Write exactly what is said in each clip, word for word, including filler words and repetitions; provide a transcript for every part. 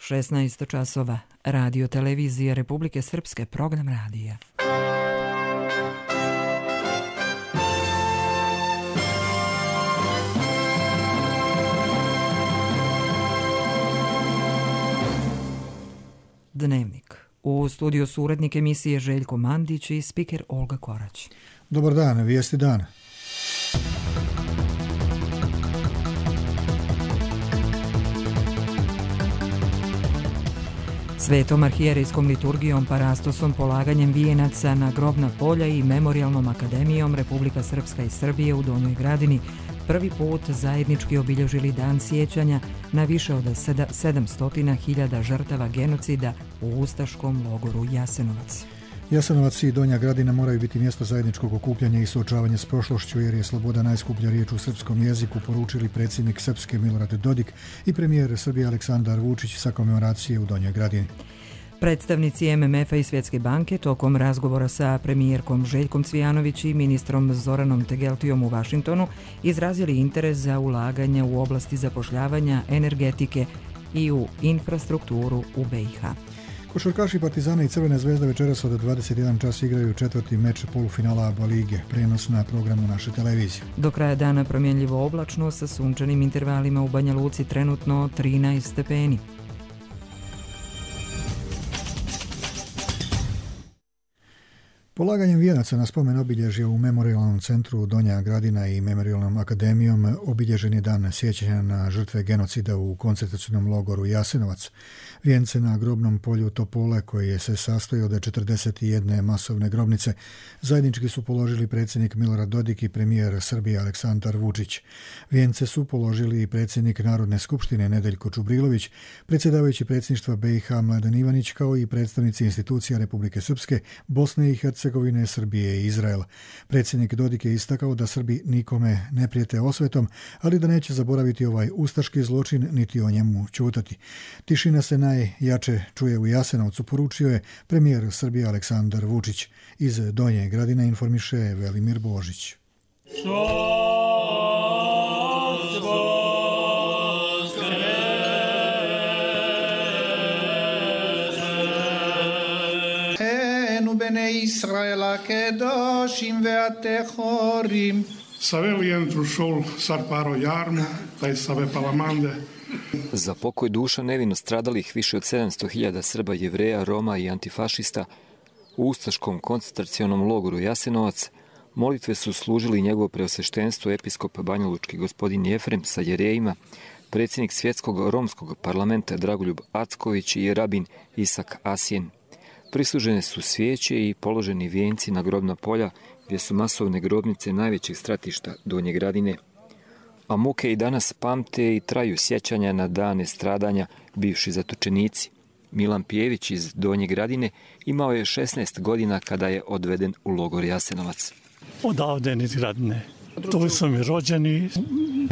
šesnaest časova, Radio televizije Republike Srpske, program radija. Dnevnik. U studiju su urednik emisije Željko Mandić i spiker Olga Korać. Dobar dan, vijesti dana. Svetom arhijerejskom liturgijom, parastosom, polaganjem vijenaca na grobna polja i Memorijalnom akademijom Republika Srpska i Srbije u Donjoj Gradini prvi put zajednički obilježili dan sjećanja na više od sedamsto hiljada žrtava genocida u ustaškom logoru Jasenovac. Jasenovac i Donja Gradina moraju biti mjesto zajedničkog okupljanja i suočavanja s prošlošću, jer je sloboda najskuplja riječ u srpskom jeziku, poručili predsjednik Srpske Milorad Dodik i premijer Srbije Aleksandar Vučić sa komemoracije u Donjoj Gradini. Predstavnici M M F-a i Svjetske banke tokom razgovora sa premijerkom Željkom Cvijanović i ministrom Zoranom Tegeltijom u Vašingtonu izrazili interes za ulaganja u oblasti zapošljavanja, energetike i u infrastrukturu u B i H. Košarkaši Partizana i Crvene zvezde večeras od dvadeset jedan čas igraju četvrti meč polufinala A B A lige, prenos na programu naše televizije. Do kraja dana promjenljivo oblačno sa sunčanim intervalima, u Banja Luci trenutno trinaest stepeni. Polaganjem vijenaca na spomen obilježja u Memorijalnom centru Donja Gradina i Memorijalnom akademijom obilježen je dan sjećanja na žrtve genocida u koncentracionom logoru Jasenovac. Vijence na grobnom polju Topole, koji se sastoji od četrdeset jedne masovne grobnice, zajednički su položili predsjednik Milorad Dodik i premijer Srbije Aleksandar Vučić. Vijence su položili i predsjednik Narodne skupštine Nedeljko Čubrilović, predsjedavajući predsjedništva B i H Mladen Ivanić, kao i predstavnici institucija Republike Srpske, Bosne i Hercegovine, Srbije i Izraela. Predsjednik Dodik je istakao da Srbi nikome ne prijete osvetom, ali da neće zaboraviti ovaj ustaški zločin niti o njemu ćutati. Tišina se najjače čuje u Jasenovcu, poručio je premijer Srbije Aleksandar Vučić. Iz Donje Gradine informiše Velimir Božić. בני ישראל הקדושים והטהורים. Savelijem trušol sar paro jarmo, taj save palamande. Za pokoj duša nevino stradalih više od sedamsto hiljada Srba, Jevreja, Roma i antifašista u ustaškom koncentracionom logoru Jasenovac molitve su služili njegovo preosveštenstvo episkop banjalučki gospodin Jefrem sa jerejima, predsjednik Svjetskog romskog parlamenta Dragoljub Acković i rabin Isak Asjen. Prislužene su svijeće i položeni vijenci na grobna polja, gdje su masovne grobnice najvećeg stratišta Donje Gradine. A muke i danas pamte i traju sjećanja na dane stradanja bivši zatočenici. Milan Pijević iz Donje Gradine imao je šesnaest godina kada je odveden u logor Jasenovac. Odavde iz Gradine. Tu su mi rođeni,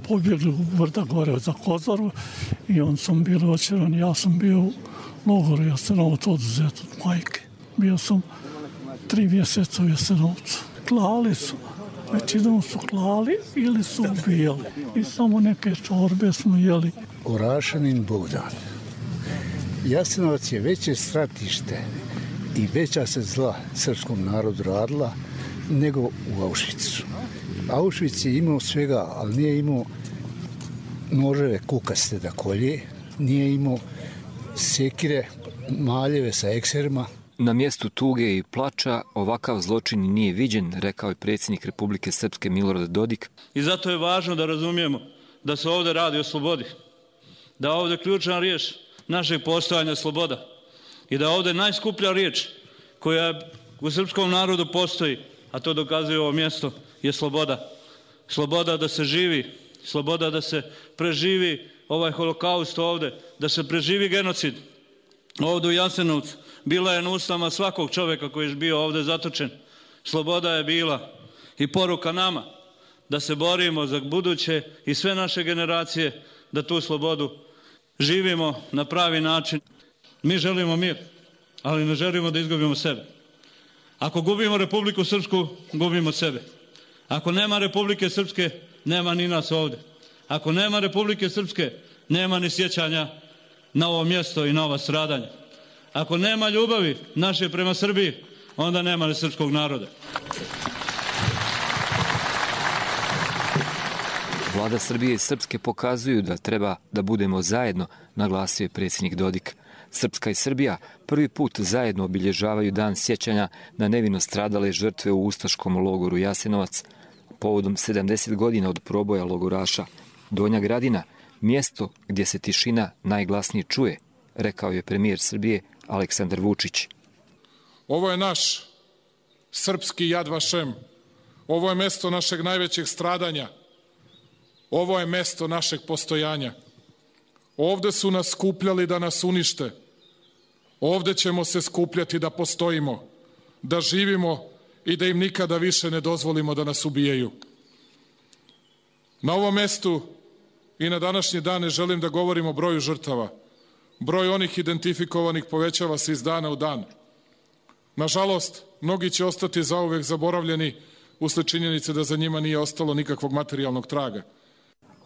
pobjegli u Vrda gore za Kozoru i on sam bili očerani. Ja sam bio u logoru Jasenovac oduzet od majke. Bio sam tri mjeseca u Jasenovcu. Klali su, većinom su klali ili su ubijali. I samo neke čorbe smo jeli. Orašanin Bogdan. Jasenovac je veće stratište i veća se zla srpskom narodu radila nego u Auschwitzu. Auschwitz je imao svega, ali nije imao noževe kukaste da kolje, nije imao sekire, maljeve sa ekserima. Na mjestu tuge i plača ovakav zločin nije viđen, rekao je predsjednik Republike Srpske Milorad Dodik. I zato je važno da razumijemo da se ovdje radi o slobodi, da ovdje ključna riječ našeg postojanja sloboda i da ovdje najskuplja riječ koja u srpskom narodu postoji, a to dokazuje ovo mjesto, je sloboda. Sloboda da se živi, sloboda da se preživi ovaj holokaust ovdje, da se preživi genocid ovdje u Jasenovcu. Bila je na ustama svakog čovjeka koji je bio ovdje zatočen. Sloboda je bila i poruka nama da se borimo za buduće i sve naše generacije, da tu slobodu živimo na pravi način. Mi želimo mir, ali ne želimo da izgubimo sebe. Ako gubimo Republiku Srpsku, gubimo sebe. Ako nema Republike Srpske, nema ni nas ovdje. Ako nema Republike Srpske, nema ni sjećanja na ovo mjesto i na ova stradanja. Ako nema ljubavi naše prema Srbiji, onda nema ni srpskog naroda. Vlada Srbije i Srpske pokazuju da treba da budemo zajedno, naglasio je predsjednik Dodik. Srpska i Srbija prvi put zajedno obilježavaju dan sjećanja na nevino stradale žrtve u ustaškom logoru Jasenovac. Povodom sedamdeset godina od proboja logoraša, Donja Gradina, mjesto gdje se tišina najglasnije čuje, rekao je premijer Srbije Aleksandar Vučić. Ovo je naš srpski Jad Vašem. Ovo je mjesto našeg najvećeg stradanja. Ovo je mjesto našeg postojanja. Ovdje su nas skupljali da nas unište. Ovdje ćemo se skupljati da postojimo, da živimo i da im nikada više ne dozvolimo da nas ubijaju. Na ovom mjestu i na današnje dane želim da govorim o broju žrtava. Broj onih identifikovanih povećava se iz dana u dan. Nažalost, mnogi će ostati zauvek zaboravljeni usled činjenice da za njima nije ostalo nikakvog materijalnog traga.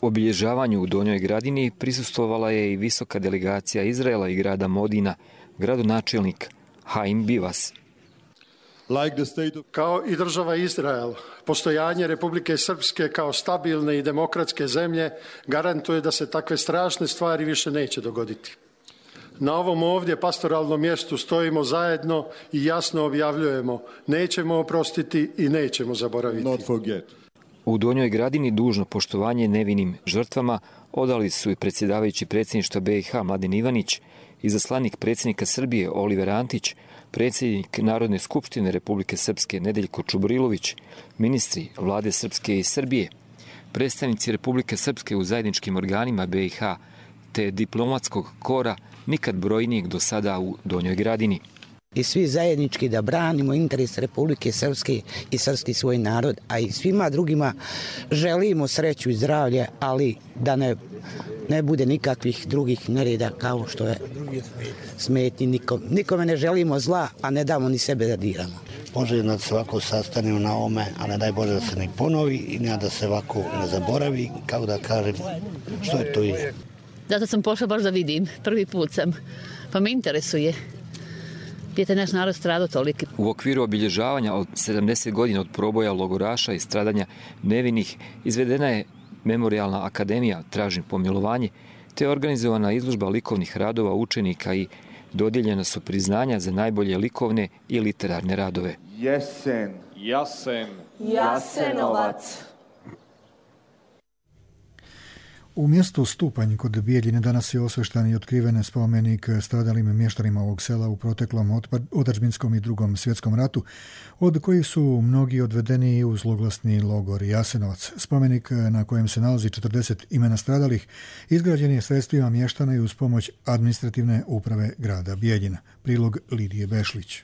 Obilježavanju u Donjoj Gradini prisustvovala je i visoka delegacija Izraela i grada Modina, gradonačelnik Haim Bivas. Kao i država Izrael, postojanje Republike Srpske kao stabilne i demokratske zemlje garantuje da se takve strašne stvari više neće dogoditi. Na ovom ovdje pastoralnom mjestu stojimo zajedno i jasno objavljujemo: nećemo oprostiti i nećemo zaboraviti. U Donjoj Gradini dužno poštovanje nevinim žrtvama odali su i predsjedavajući predsjedništva B i H Mladen Ivanić, izaslanik predsjednika Srbije Oliver Antić, predsjednik Narodne skupštine Republike Srpske Nedeljko Čubrilović, ministri vlade Srpske i Srbije, predstavnici Republike Srpske u zajedničkim organima B i H te diplomatskog kora nikad brojnijeg do sada u Donjoj Gradini. I svi zajednički da branimo interes Republike Srpske i srpski svoj narod, a i svima drugima želimo sreću i zdravlje, ali da ne, ne bude nikakvih drugih nereda kao što je smetnji nikom. Nikome ne želimo zla, a ne damo ni sebe da diramo. Može da se ovako sastanemo na ome, a ne daj Bože da se ne ponovi i ne da se ovako ne zaboravi, kao da kažem što je to je. Zato sam pošla baš da vidim, prvi put sam, pa me interesuje. Gdje je naš narod stradao toliki. U okviru obilježavanja od sedamdeset godina od proboja logoraša i stradanja nevinih izvedena je Memorijalna akademija Tražim pomilovanje, te organizovana izložba likovnih radova učenika i dodijeljena su priznanja za najbolje likovne i literarne radove. Jesen, Jasen, Jasenovac. U mjestu Stupanj kod Bijeljine danas je osveštan i otkriven spomenik stradalim mještanima ovog sela u proteklom otadžbinskom i drugom svjetskom ratu, od kojih su mnogi odvedeni u zloglasni logor Jasenovac. Spomenik na kojem se nalazi četrdeset imena stradalih izgrađen je sredstvima mještana i uz pomoć administrativne uprave grada Bijeljina. Prilog Lidije Bešlić.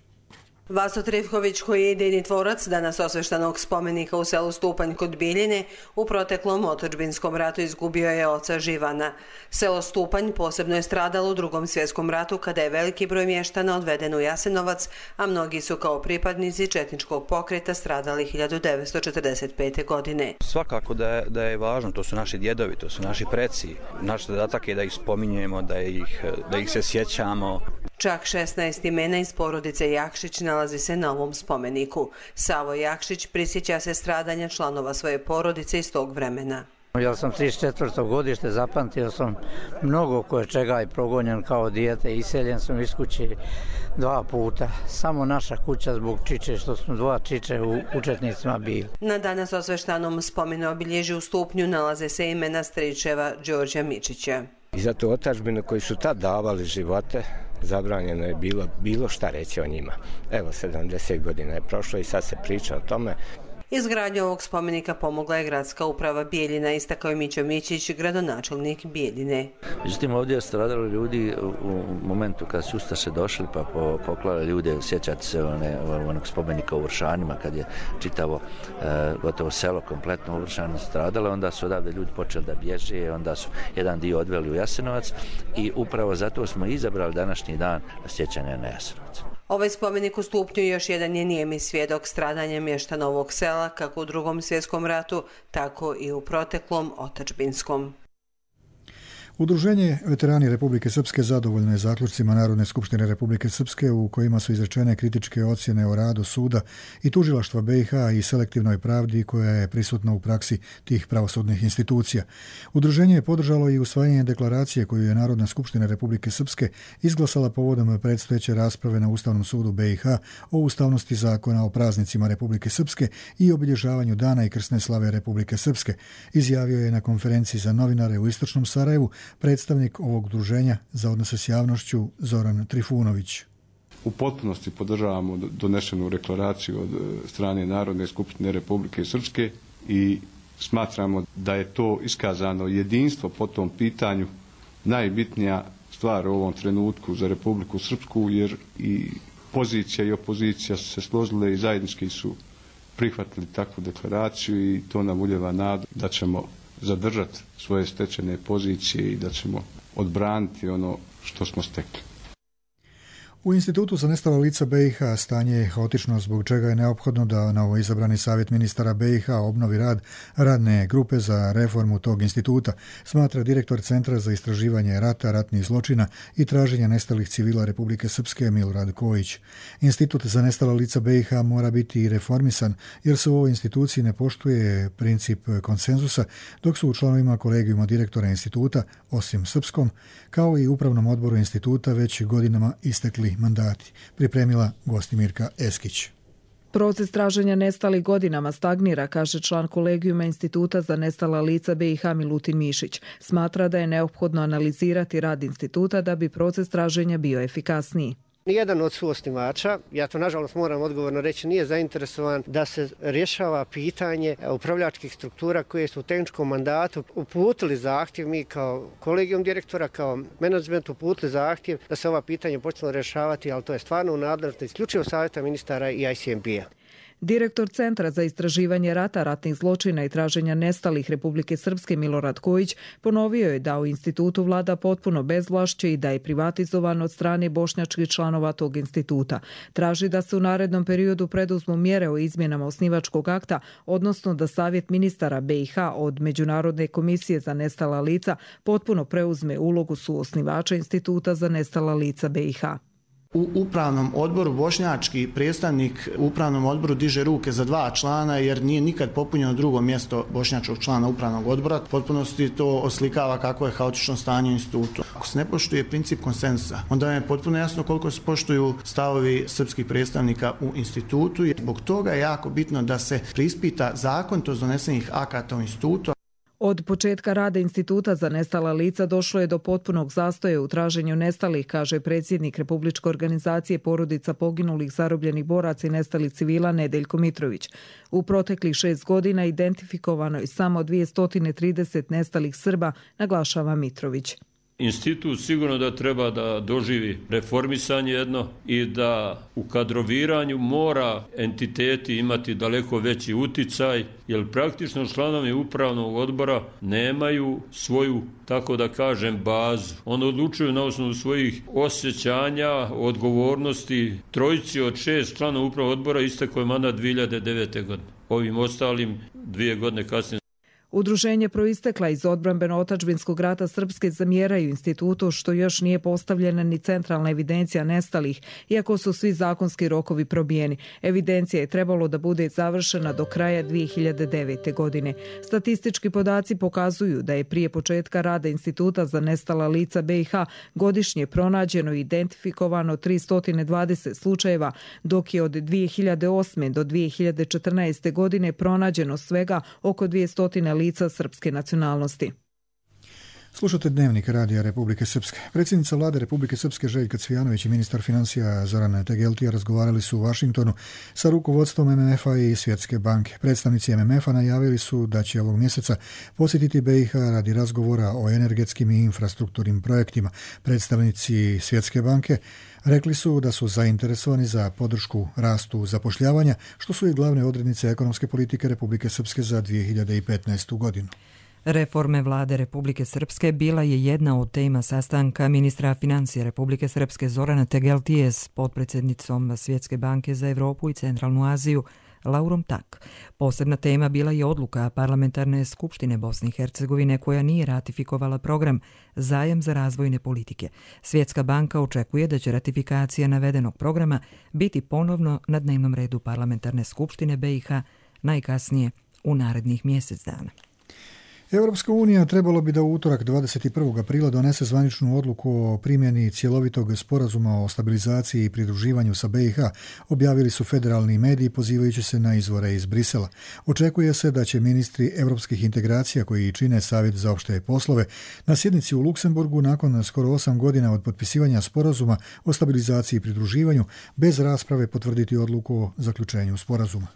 Vaso Trivković, koji je idejni tvorac danas osveštanog spomenika u selu Stupanj kod Bijeljine, u proteklom otadžbinskom ratu izgubio je oca Živana. Selo Stupanj posebno je stradalo u drugom svjetskom ratu kada je veliki broj mještana odveden u Jasenovac, a mnogi su kao pripadnici četničkog pokreta stradali hiljadu devetsto četrdeset pete. godine. Svakako da je, da je važno, to su naši djedovi, to su naši preci. Naš zadatak je da ih spominjemo, da ih, da ih se sjećamo. Čak šesnaest imena iz porodice Jakšić nalazi se na ovom spomeniku. Savo Jakšić prisjeća se stradanja članova svoje porodice iz tog vremena. Ja sam trideset četvrto godište, zapamtio sam mnogo koje čega i progonjen kao dijete, iseljen sam iz kuće dva puta. Samo naša kuća zbog čiče, što smo dva čiče u učetnicima bili. Na danas osveštanom spomenu obilježju u Stupnju nalaze se imena stričeva Đorđa Mičića. I zato otadžbine koji su tad davali živote, zabranjeno je bilo, bilo šta reći o njima. Evo, sedamdeset godina je prošlo i sad se priča o tome. Izgradnju ovog spomenika pomogla je gradska uprava Bijeljina, istakao je Mićo Mićić, gradonačelnik Bijeljine. Međutim, ovdje je stradalo ljudi u momentu kad su ustaše došli pa poklali ljude, sjećate se one, onog spomenika u Vršanima kad je čitavo e, gotovo selo kompletno u Vršanu stradalo, onda su odavde ljudi počeli da bježe, onda su jedan dio odveli u Jasenovac i upravo zato smo izabrali današnji dan sjećanja na Jasenovac. Ovaj spomenik u Stupnju još jedan je nijemi svjedok stradanja mještana ovog sela, kako u drugom svjetskom ratu, tako i u proteklom otadžbinskom. Udruženje Veterani Republike Srpske zadovoljno je zaključcima Narodne skupštine Republike Srpske u kojima su izrečene kritičke ocjene o radu suda i tužilaštva B i H i selektivnoj pravdi koja je prisutna u praksi tih pravosudnih institucija. Udruženje je podržalo i usvajanje deklaracije koju je Narodna skupština Republike Srpske izglasala povodom predstojeće rasprave na Ustavnom sudu B i H o ustavnosti zakona o praznicima Republike Srpske i obilježavanju dana i krsne slave Republike Srpske, izjavio je na konferenciji za novinare u Istočnom Sarajevu predstavnik ovog udruženja za odnose s javnošću Zoran Trifunović. U potpunosti podržavamo donešenu deklaraciju od strane Narodne skupštine Republike Srpske i smatramo da je to iskazano jedinstvo po tom pitanju najbitnija stvar u ovom trenutku za Republiku Srpsku, jer i pozicija i opozicija su se složile i zajednički su prihvatili takvu deklaraciju i to nam ulijeva nadu da ćemo zadržati svoje stečene pozicije i da ćemo odbraniti ono što smo stekli. U Institutu za nestala lica B i H stanje je haotično, zbog čega je neophodno da novoizabrani savjet ministara B i H obnovi rad radne grupe za reformu tog instituta, smatra direktor Centra za istraživanje rata, ratnih zločina i traženja nestalih civila Republike Srpske Milorad Kojić. Institut za nestala lica B i H mora biti reformisan jer se u ovoj instituciji ne poštuje princip konsenzusa, dok su u članovima kolegijuma direktora instituta, osim srpskom, kao i upravnom odboru instituta već godinama istekli mandati, pripremila Gostimirka Eskić. Proces traženja nestalih godinama stagnira, kaže član kolegijuma Instituta za nestala lica B i H Milutin Mišić. Smatra da je neophodno analizirati rad instituta da bi proces traženja bio efikasniji. Nijedan od suosnivača, ja to nažalost moram odgovorno reći, nije zainteresovan da se rješava pitanje upravljačkih struktura koje su u tehničkom mandatu uputili zahtjev, mi kao kolegijum direktora, kao menadžment uputili zahtjev da se ova pitanja počne rješavati, ali to je stvarno u nadležnosti isključivo savjeta ministara i I C M P-a. Direktor Centra za istraživanje rata, ratnih zločina i traženja nestalih Republike Srpske Milorad Kojić ponovio je da u institutu vlada potpuno bezvlašće i da je privatizovan od strane bošnjačkih članova tog instituta. Traži da se u narednom periodu preduzmu mjere o izmjenama osnivačkog akta, odnosno da Savjet ministara B i H od Međunarodne komisije za nestala lica potpuno preuzme ulogu suosnivača Instituta za nestala lica B i H. U upravnom odboru bošnjački predstavnik u upravnom odboru diže ruke za dva člana jer nije nikad popunjeno drugo mjesto bošnjačkog člana upravnog odbora. Potpunosti to oslikava kako je haotično stanje u institutu. Ako se ne poštuje princip konsenzusa, onda je potpuno jasno koliko se poštuju stavovi srpskih predstavnika u institutu. Zbog toga je jako bitno da se preispita zakonitost donesenih akata u institutu. Od početka rada Instituta za nestala lica došlo je do potpunog zastoja u traženju nestalih, kaže predsjednik Republičke organizacije porodica poginulih, zarobljenih boraca i nestalih civila Nedeljko Mitrović. U proteklih šest godina identifikovano je samo dvjesto trideset nestalih Srba, naglašava Mitrović. Institut sigurno da treba da doživi reformisanje jedno i da u kadroviranju mora entiteti imati daleko veći uticaj, jer praktično članovi upravnog odbora nemaju svoju, tako da kažem, bazu. Oni odlučuju na osnovu svojih osjećanja, odgovornosti. Trojici od šest članova upravnog odbora istekao je mandat dvije hiljade devete. godine. Ovim ostalim dvije godine kasnije. Udruženje proistekla iz odbrambeno-otačbinskog rata Srpske zamjeraju institutu što još nije postavljena ni centralna evidencija nestalih, iako su svi zakonski rokovi probijeni. Evidencija je trebalo da bude završena do kraja dvije hiljade devete. godine. Statistički podaci pokazuju da je prije početka rada Instituta za nestala lica B i H godišnje pronađeno i identifikovano tristo dvadeset slučajeva, dok je od dvije hiljade osme. do dvije hiljade četrnaeste. godine pronađeno svega oko dvjesto lica srpske nacionalnosti. Slušate Dnevnik Radija Republike Srpske. Predsjednica vlade Republike Srpske Željka Cvijanović i ministar financija Zoran Tegeltija razgovarali su u Vašingtonu sa rukovodstvom M M F-a i Svjetske banke. Predstavnici M M F-a najavili su da će ovog mjeseca posjetiti B i H radi razgovora o energetskim i infrastrukturnim projektima. Predstavnici Svjetske banke rekli su da su zainteresovani za podršku rastu zapošljavanja, što su i glavne odrednice ekonomske politike Republike Srpske za dvije hiljade petnaestu. godinu. Reforme vlade Republike Srpske bila je jedna od tema sastanka ministra financija Republike Srpske Zorana Tegeltije s potpredsjednicom Svjetske banke za Evropu i Centralnu Aziju Laurom Tak. Posebna tema bila je odluka Parlamentarne skupštine Bosne i Hercegovine koja nije ratifikovala program Zajam za razvojne politike. Svjetska banka očekuje da će ratifikacija navedenog programa biti ponovno na dnevnom redu Parlamentarne skupštine B i H najkasnije u narednih mjesec dana. Europska unija trebalo bi da u utorak dvadeset prvog aprila donese zvaničnu odluku o primjeni cjelovitog sporazuma o stabilizaciji i pridruživanju sa B i H, objavili su federalni mediji pozivajući se na izvore iz Brisela. Očekuje se da će ministri europskih integracija koji čine Savjet za opšte poslove na sjednici u Luksemburgu nakon skoro osam godina od potpisivanja sporazuma o stabilizaciji i pridruživanju bez rasprave potvrditi odluku o zaključenju sporazuma.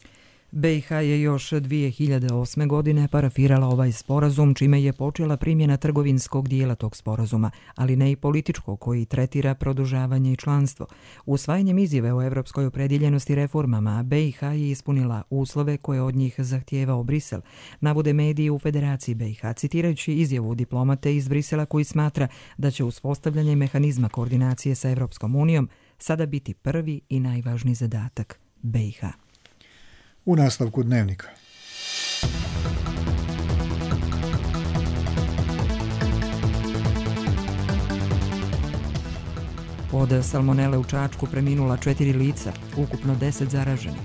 B i H je još dvije hiljade osme. godine parafirala ovaj sporazum, čime je počela primjena trgovinskog dijela tog sporazuma, ali ne i političkog koji tretira produžavanje i članstvo. Usvajanjem izjave o evropskoj opredjeljenosti reformama, B i H je ispunila uslove koje od njih zahtijevao Brisel, navode mediji u Federaciji B i H, citirajući izjavu diplomate iz Brisela koji smatra da će uspostavljanje mehanizma koordinacije sa Evropskom unijom sada biti prvi i najvažniji zadatak B i H. U nastavku dnevnika. Od salmonele u Čačku preminula četiri lica, ukupno deset zaraženih.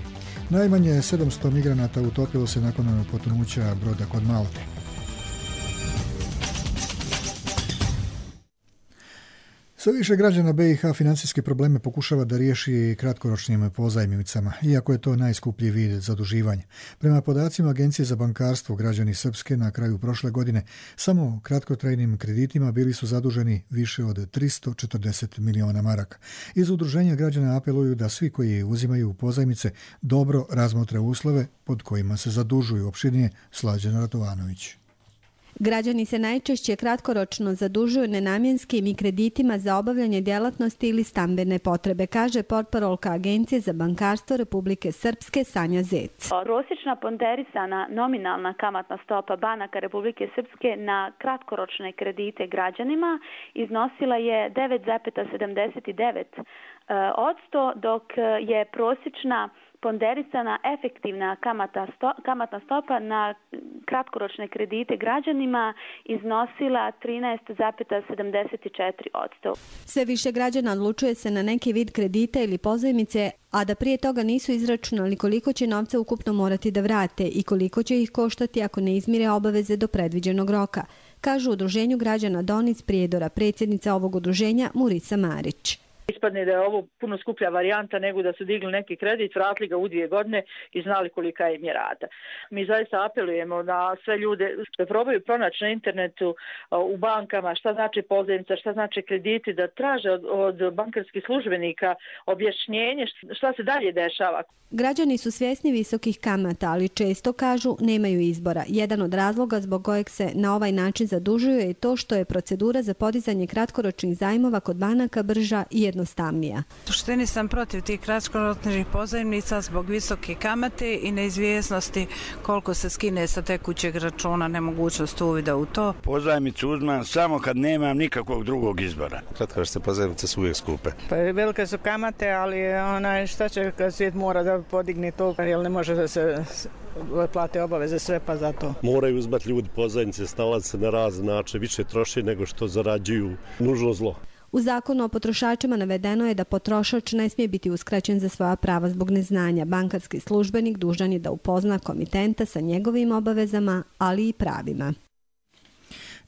Najmanje sedamsto migranata utopilo se nakon potonuća broda kod Malte. Sve više građana B i H financijske probleme pokušava da riješi kratkoročnim pozajmicama, iako je to najskuplji vid zaduživanja. Prema podacima Agencije za bankarstvo, građani Srpske na kraju prošle godine samo kratkotrajnim kreditima bili su zaduženi više od tristo četrdeset miliona maraka. Iz udruženja građana apeluju da svi koji uzimaju pozajmice dobro razmotre uslove pod kojima se zadužuju. Opširnije Slađana Ratovanović. Građani se najčešće kratkoročno zadužuju nenamjenskim i kreditima za obavljanje djelatnosti ili stambene potrebe, kaže portparolka Agencije za bankarstvo Republike Srpske Sanja Zec. Prosječna ponderisana nominalna kamatna stopa banaka Republike Srpske na kratkoročne kredite građanima iznosila je devet zarez sedamdeset devet posto, dok je prosječna ponderisana efektivna kamata sto, kamatna stopa na kratkoročne kredite građanima iznosila trinaest zarez sedamdeset četiri posto. Sve više građana odlučuje se na neki vid kredita ili pozajmice, a da prije toga nisu izračunali koliko će novca ukupno morati da vrate i koliko će ih koštati ako ne izmire obaveze do predviđenog roka, kažu u Udruženju građana Donic Prijedora, predsjednica ovog udruženja Murica Marić. Ispadne da je ovo puno skuplja varijanta nego da su digli neki kredit, vratili ga u dvije godine i znali kolika im je rata. Mi zaista apelujemo na sve ljude da probaju pronaći na internetu, u bankama, šta znači pozajmica, šta znači krediti, da traže od, od bankarskih službenika objašnjenje šta se dalje dešava. Građani su svjesni visokih kamata, ali često kažu nemaju izbora. Jedan od razloga zbog kojeg se na ovaj način zadužuju je to što je procedura za podizanje kratkoročnih zajmova kod banaka brža i jednostavnija. U suštini sam protiv tih kratkoročnih pozajmnica zbog visoke kamate i neizvjesnosti koliko se skine sa tekućeg računa, nemogućnost uvida u to. Pozajmicu uzmem samo kad nemam nikakvog drugog izbora. Kratkoročne pozajmice su uvijek skupe. Pa velike su kamate, ali onaj šta će kad svijet mora da podigne to, jer ne može da se plate obaveze sve, pa zato. Moraju uzmati ljudi pozajmice, snalaze se na razne načine, više troše nego što zarađuju, nužno zlo. U zakonu o potrošačima navedeno je da potrošač ne smije biti uskraćen za svoja prava zbog neznanja. Bankarski službenik dužan je da upozna komitenta sa njegovim obavezama, ali i pravima.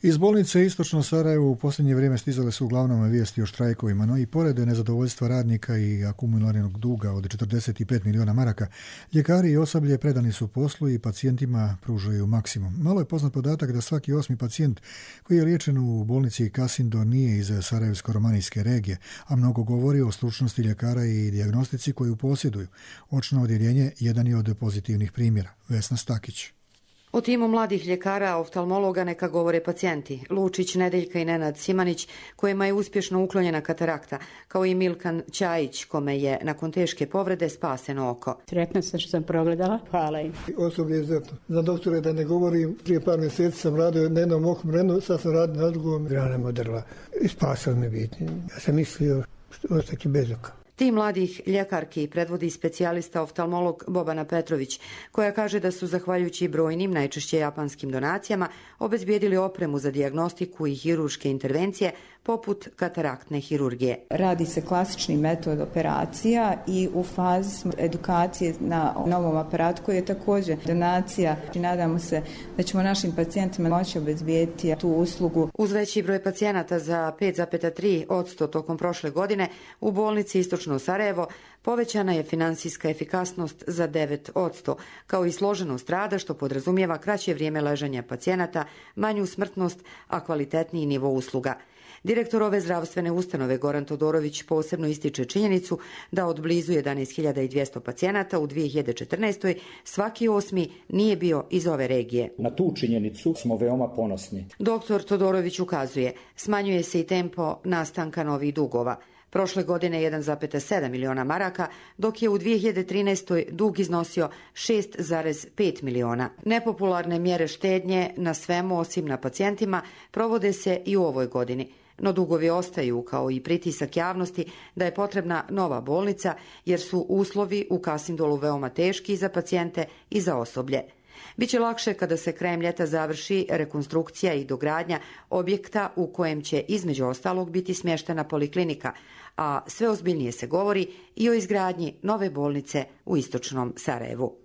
Iz bolnice Istočno Sarajevo u posljednje vrijeme stizale su uglavnom vijesti o štrajkovima, no i pored nezadovoljstva radnika i akumuliranog duga od četrdeset pet miliona maraka, ljekari i osoblje predani su poslu i pacijentima pružaju maksimum. Malo je poznat podatak da svaki osmi pacijent koji je liječen u bolnici Kasindo nije iz Sarajevsko-romanijske regije, a mnogo govori o stručnosti ljekara i dijagnostici koju posjeduju. Očno odjeljenje jedan je od pozitivnih primjera. Vesna Stakić. O timu mladih ljekara, oftalmologa neka govore pacijenti. Lučić, Nedeljka i Nenad Simanić, kojima je uspješno uklonjena katarakta, kao i Milkan Ćajić, kome je nakon teške povrede spaseno oko. Sretna sam što sam progledala. Hvala im. Osoblje je izuzetno. Za doktore da ne govorim, prije par mjeseci sam radio na jednom okom renu, sad sam radio na drugom, grana modrla. I spasao me biti. Ja sam mislio što ostati bez oka. Tim mladih ljekarki predvodi specijalista oftalmolog Bobana Petrović, koja kaže da su zahvaljujući brojnim, najčešće japanskim donacijama, obezbijedili opremu za dijagnostiku i hirurške intervencije poput kataraktne hirurgije. Radi se klasični metod operacija i u fazi smo edukacije na novom aparatu koji je također donacija. Nadamo se da ćemo našim pacijentima moći obezbijediti tu uslugu. Uz veći broj pacijenata za pet zarez tri posto tokom prošle godine u bolnici Istočno Sarajevo povećana je finansijska efikasnost za devet posto, kao i složenost rada što podrazumijeva kraće vrijeme ležanja pacijenata, manju smrtnost, a kvalitetniji nivo usluga. Direktor ove zdravstvene ustanove Goran Todorović posebno ističe činjenicu da od blizu jedanaest hiljada dvjesto pacijenata u dvije hiljade četrnaestoj svaki osmi nije bio iz ove regije. Na tu činjenicu smo veoma ponosni. Doktor Todorović ukazuje, smanjuje se i tempo nastanka novih dugova. Prošle godine jedan zarez sedam miliona maraka, dok je u dvije hiljade trinaestoj dug iznosio šest zarez pet miliona. Nepopularne mjere štednje na svemu osim na pacijentima provode se i u ovoj godini. No dugovi ostaju, kao i pritisak javnosti da je potrebna nova bolnica, jer su uslovi u Kasindolu veoma teški za pacijente i za osoblje. Biće lakše kada se krajem ljeta završi rekonstrukcija i dogradnja objekta u kojem će između ostalog biti smještena poliklinika, a sve ozbiljnije se govori i o izgradnji nove bolnice u Istočnom Sarajevu.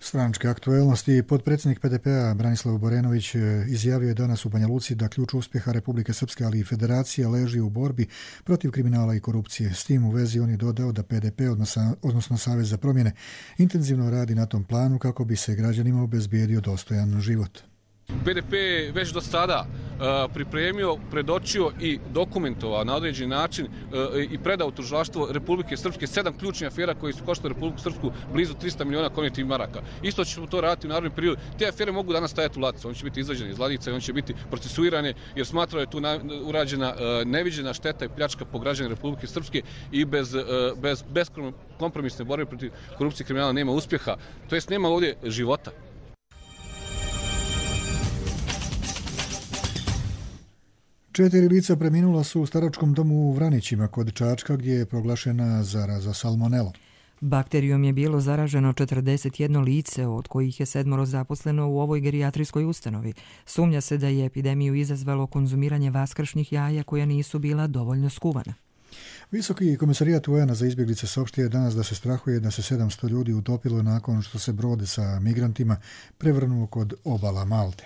Stranačke aktuelnosti. Potpredsjednik P D P-a Branislav Borenović izjavio je danas u Banja Luci da ključ uspjeha Republike Srpske, ali i Federacije leži u borbi protiv kriminala i korupcije. S tim u vezi on je dodao da P D P, odnosno Savez za promjene, intenzivno radi na tom planu kako bi se građanima obezbijedio dostojan život. P D P je već do sada uh, pripremio, predočio i dokumentovao na određeni način uh, i predao tužilaštvo Republike Srpske sedam ključnih afera koji su koštali Republiku Srpsku blizu trista miliona konvertibilnih maraka. Isto ćemo to raditi u narednom periodu. Te afere mogu danas stajati u ladicu, on će biti izvađeni iz ladice i on će biti procesuirane jer smatrao je tu na, urađena uh, neviđena šteta i pljačka po građane Republike Srpske i bez, uh, bez, bez kompromisne borbe protiv korupcije i kriminala nema uspjeha, to jest nema ovdje života. Četiri lica preminula su u staračkom domu u Vranićima kod Čačka gdje je proglašena zaraza salmonelom. Bakterijom je bilo zaraženo četrdeset jedno lice, od kojih je sedmoro zaposleno u ovoj gerijatrijskoj ustanovi. Sumnja se da je epidemiju izazvalo konzumiranje vaskršnjih jaja koja nisu bila dovoljno skuvana. Visoki komisarijat U N-a za izbjeglice saopštio je danas da se strahuje da se sedamsto ljudi utopilo nakon što se brod sa migrantima prevrnuo kod obala Malte.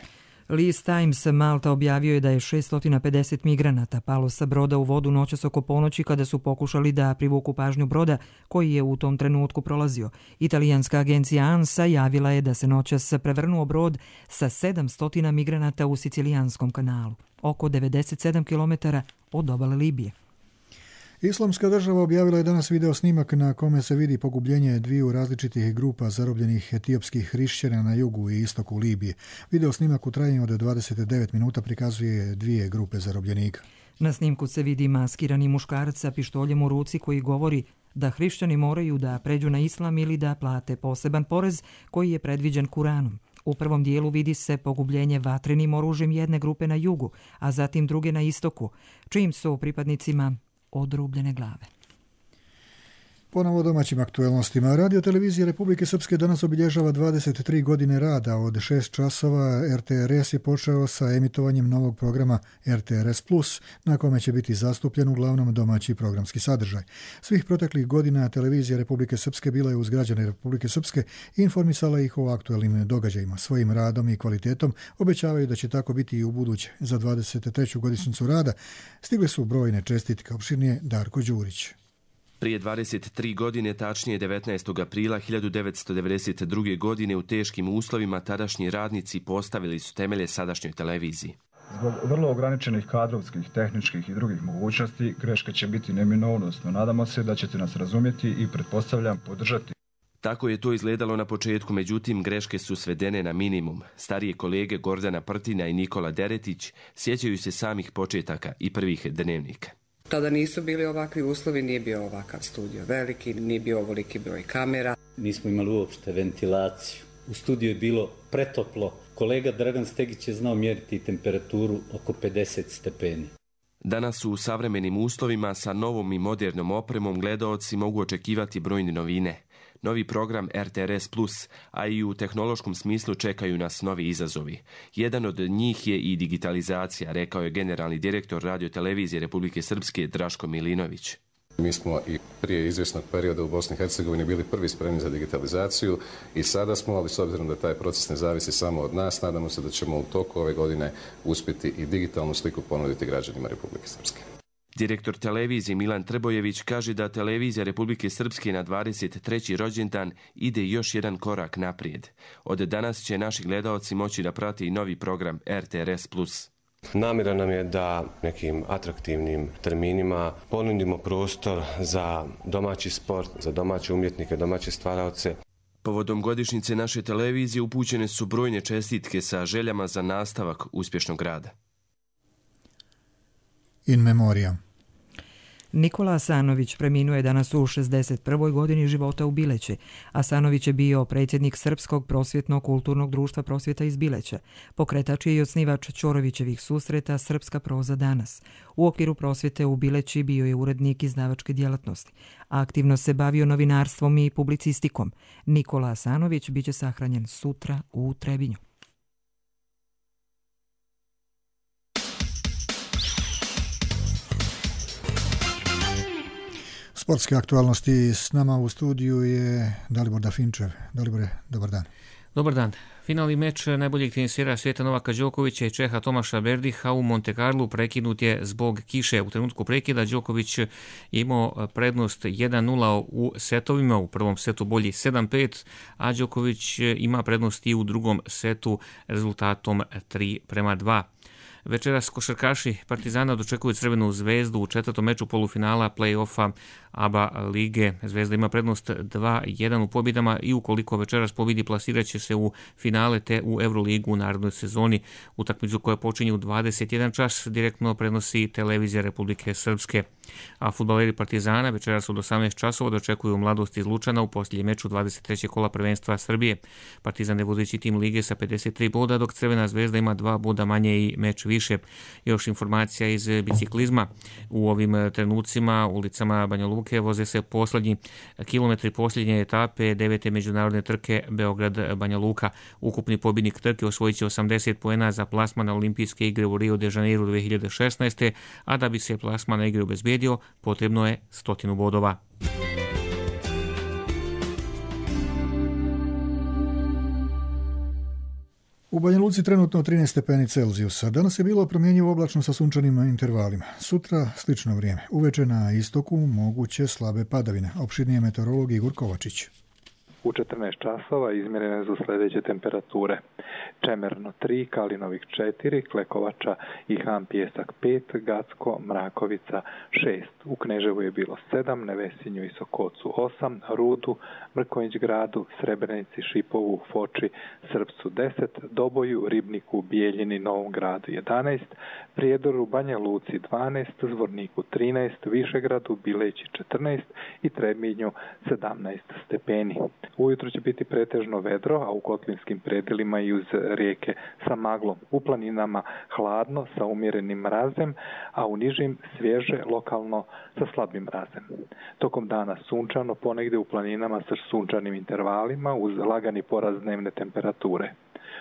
List Times Malta objavio je da je šesto pedeset migranata palo sa broda u vodu noćas oko ponoći kada su pokušali da privuku pažnju broda koji je u tom trenutku prolazio. Italijanska agencija ANSA javila je da se noćas prevrnuo brod sa sedamsto migranata u Sicilijanskom kanalu, oko devedeset sedam kilometara od obale Libije. Islamska država objavila je danas video snimak na kome se vidi pogubljenje dviju različitih grupa zarobljenih etiopskih hrišćana na jugu i istoku Libije. Video snimak u trajanju od dvadeset devet minuta prikazuje dvije grupe zarobljenika. Na snimku se vidi maskirani muškarac sa pištoljem u ruci koji govori da hrišćani moraju da pređu na islam ili da plate poseban porez koji je predviđen Kuranom. U prvom dijelu vidi se pogubljenje vatrenim oružjem jedne grupe na jugu, a zatim druge na istoku, čim su pripadnicima odrubljene glave. Ponovo domaćim aktuelnostima. Radio televizija Republike Srpske danas obilježava dvadeset tri godine rada. Od šest časova R T R S je počeo sa emitovanjem novog programa R T R S plus, na kome će biti zastupljen uglavnom domaći programski sadržaj. Svih proteklih godina televizija Republike Srpske bila je uz građane Republike Srpske i informisala ih o aktuelnim događajima. Svojim radom i kvalitetom obećavaju da će tako biti i u buduće. Za dvadeset treću godišnjicu rada stigle su brojne čestitke. Opširnije Darko Đurić. Prije dvadeset tri godine, tačnije devetnaestog aprila hiljadu devetsto devedeset druge. godine, u teškim uslovima tadašnji radnici postavili su temelje sadašnjoj televiziji. Zbog vrlo ograničenih kadrovskih, tehničkih i drugih mogućnosti, greška će biti neminovnost, no nadamo se da ćete nas razumjeti i pretpostavljam podržati. Tako je to izgledalo na početku, međutim greške su svedene na minimum. Starije kolege Gordana Prtina i Nikola Deretić sjećaju se samih početaka i prvih dnevnika. Tada nisu bili ovakvi uslovi, nije bio ovakav studio veliki, nije bio ovoliki broj kamera. Nismo imali uopšte ventilaciju. U studiju je bilo pretoplo. Kolega Dragan Stegić je znao mjeriti temperaturu oko pedeset stepeni. Danas u savremenim uslovima sa novom i modernom opremom gledaoci mogu očekivati brojne novine. Novi program R T R S plus, a i u tehnološkom smislu čekaju nas novi izazovi. Jedan od njih je i digitalizacija, rekao je generalni direktor radiotelevizije Republike Srpske Draško Milinović. Mi smo i prije izvjesnog perioda u Bosni i Hercegovini bili prvi spremni za digitalizaciju i sada smo, ali s obzirom da taj proces ne zavisi samo od nas, nadamo se da ćemo u toku ove godine uspjeti i digitalnu sliku ponuditi građanima Republike Srpske. Direktor televizije Milan Trbojević kaže da televizija Republike Srpske na dvadeset treći rođendan ide još jedan korak naprijed. Od danas će naši gledaoci moći da prati i novi program R T R S plus. Namjera nam je da nekim atraktivnim terminima ponudimo prostor za domaći sport, za domaće umjetnike, domaće stvaraoce. Povodom godišnjice naše televizije upućene su brojne čestitke sa željama za nastavak uspješnog rada. In memoriam. Nikola Asanović preminuo je danas u šezdeset prvoj godini života u Bileći. Asanović je bio predsjednik Srpskog prosvjetno-kulturnog društva Prosvjeta iz Bileća. Pokretač je i osnivač Ćorovićevih susreta Srpska proza danas. U okviru prosvjete u Bileći bio je urednik izdavačke djelatnosti. Aktivno se bavio novinarstvom i publicistikom. Nikola Asanović biće sahranjen sutra u Trebinju. Sportske aktualnosti s nama u studiju je Dalibor Dafinčev. Dalibore, dobar dan. Dobar dan. Finalni meč najboljeg tenisera svijeta Novaka Đokovića i Čeha Tomaša Berdiha u Monte Carlu prekinut je zbog kiše. U trenutku prekida Đoković je imao prednost jedan nula u setovima, u prvom setu bolji sedam pet, a Đoković ima prednost i u drugom setu rezultatom tri prema dva. Večeras košarkaši Partizana dočekuju Crvenu zvezdu u četvrtom meču polufinala play-offa A B A lige. Zvezda ima prednost dva jedan u pobjedama i ukoliko večeras pobjedi plasirat će se u finale te u Euroligu u narednoj sezoni. Utakmicu koja počinje u dvadeset jedan čas direktno prenosi televizija Republike Srpske. A fudbaleri Partizana večeras od osamnaest časova dočekuju Mladost iz Lučana u posljednjem meču dvadeset trećeg kola prvenstva Srbije. Partizan je vodeći tim lige sa pedeset tri boda, dok Crvena zvezda ima dva boda manje i meč više. Još informacija iz biciklizma. U ovim trenucima ulicama Banja Luke voze se posljednji kilometri posljednje etape devete međunarodne trke Beograd-Banja Luka. Ukupni pobjednik trke osvojit će osamdeset poena za plasman na olimpijske igre u Rio de Janeiro dve hiljade šesnaeste. a da bi se plasman na igre obezbedio, potrebno je stotinu bodova. U Banja Luci trenutno trinaest stepeni Celzijusa. Danas je bilo promjenjivo oblačno sa sunčanim intervalima. Sutra slično vrijeme. Uveče na istoku moguće slabe padavine. Opširnije meteorolog Igor Kovačić. U četrnaest časova izmjerene su sljedeće temperature. Čemerno tri, Kalinovik četiri, Klekovača i Han Pijesak pet, Gacko, Mrakovica šest. U Kneževu je bilo sedam, Nevesinju i Sokocu osam, Rudu, Mrkonjić gradu, Srebrenici, Šipovu, Foči, Srpcu deset, Doboju, Ribniku, Bijeljini, Novom gradu jedanaest, Prijedoru, Banja Luci dvanaest, Zvorniku trinaest, Višegradu, Bileći četrnaest i Trebinju sedamnaest stepeni. Ujutro će biti pretežno vedro, a u kotlinskim predjelima i uz rijeke sa maglom. U planinama hladno sa umjerenim mrazem, a u nižim svježe lokalno sa slabim mrazem. Tokom dana sunčano, ponegdje u planinama sa sunčanim intervalima uz lagani porast dnevne temperature.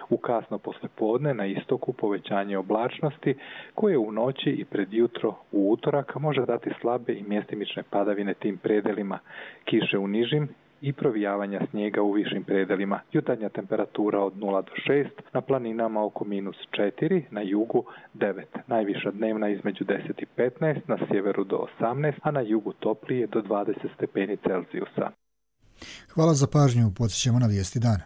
U kasno poslijepodne na istoku povećanje oblačnosti koje u noći i pred jutro u utorak može dati slabe i mjestimične padavine tim predelima, kiše u nižim i provijavanja snijega u višim predelima. Jutarnja temperatura od nula do šest, na planinama oko minus četiri, na jugu devet. Najviša dnevna između deset i petnaest, na sjeveru do osamnaest, a na jugu toplije do dvadeset stepeni Celzijusa. Hvala za pažnju, podsjećamo na vijesti dana.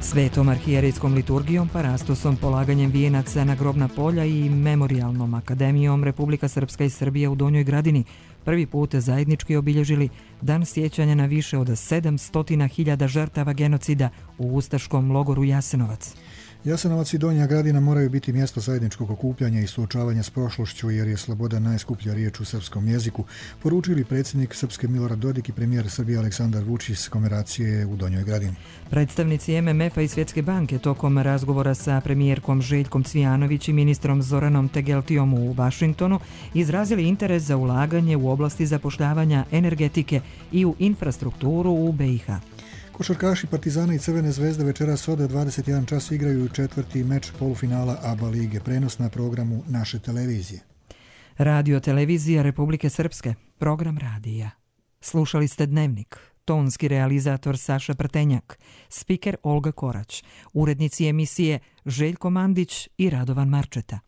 Svetom arhijerejskom liturgijom, parastosom, polaganjem vijenaca na grobna polja i memorijalnom akademijom Republika Srpska i Srbija u Donjoj Gradini prvi put zajednički obilježili dan sjećanja na više od sedamsto hiljada žrtava genocida u ustaškom logoru Jasenovac. Jasenovac i Donja Gradina moraju biti mjesto zajedničkog okupljanja i suočavanja s prošlošću, jer je sloboda najskuplja riječ u srpskom jeziku, poručili predsjednik Srpske Milorad Dodik i premijer Srbije Aleksandar Vučić s komemoracije u Donjoj Gradini. Predstavnici M M F-a i Svjetske banke tokom razgovora sa premijerkom Željkom Cvijanović i ministrom Zoranom Tegeltijom u Vašingtonu izrazili interes za ulaganje u oblasti zapošljavanja, energetike i u infrastrukturu u B i H. Košarkaši Partizana i Crvene zvezde večeras od dvadeset jedan čas igraju četvrti meč polufinala A B A lige, prenos na programu naše televizije. Radio televizija Republike Srpske, program radija. Slušali ste Dnevnik, tonski realizator Saša Prtenjak, spiker Olga Korać, urednici emisije Željko Mandić i Radovan Marčeta.